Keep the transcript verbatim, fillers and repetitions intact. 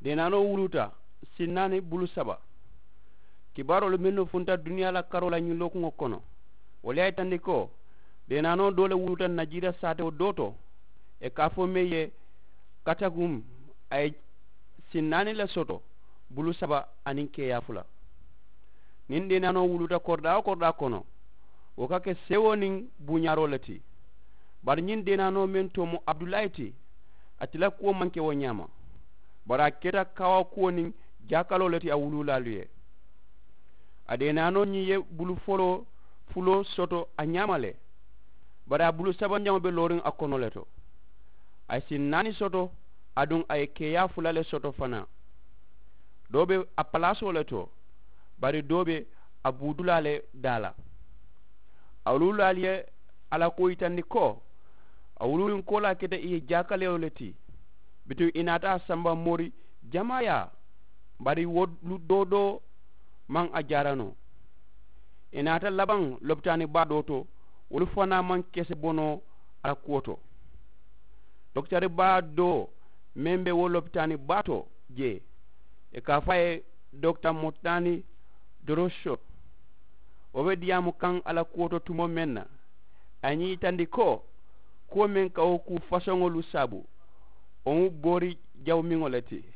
Deenaanoo wuluuta sinnaani bulu saba. Kibaaroolu mennu funta duniyaa la karoo la ñiŋ lookuŋo kono, wolu ye a yitandi ko deenaanoo doo le wuluuta najiira saatewo doo to, ì ka a fo meŋ ye katagum. A ye sinnaani le soto, bulu saba aniŋ keeyaa fula. Niŋ deenaanoo wuluuta koridaa wo koridaa kono, wo ka ke sewoo niŋ buuñaaroo le ti. Bari ñiŋ deenaanoo meŋ too mu abudulaayi ti, ate la kuwo maŋ ke wo ñaama. Bari a keta kawaa kuwo niŋ jaakaloo le ti a wuluulaalu ye. A deenaanoo ñiŋ ye bulu foloo fuloo soto a ñaama le. Bari a bulu sabanjaŋo be looriŋ a kono le to. A ye sinnaani soto, aduŋ a ye keeyaa fula le soto fanaa. Doo be a palaasoo le to, bari doo be a buudulaa le daa la. A wuluulaalu ye a la kuwo yitandi ko a wuluuriŋ koolaa keta ì ye jaakalewo le ti. Bituŋ ì naata a samba moori jamaayaa, bari wolu doo doo maŋ a jaara noo. Ì naata labaŋ lopitaani baa doo to, wolu fanaa maŋ kese bo noo a la kuwo to. Dokitari baa doo meŋ be wo lopitaani baa to jee, ì ka a fo a ye dokita motani doroso. Wo be diyaamu kaŋ a la kuwo to tumoo meŋ na, a ye ñiŋ yitandi ko kuwo meŋ ka wo kuu fasoŋolu saabu, wo mu boori jawumiŋo le ti.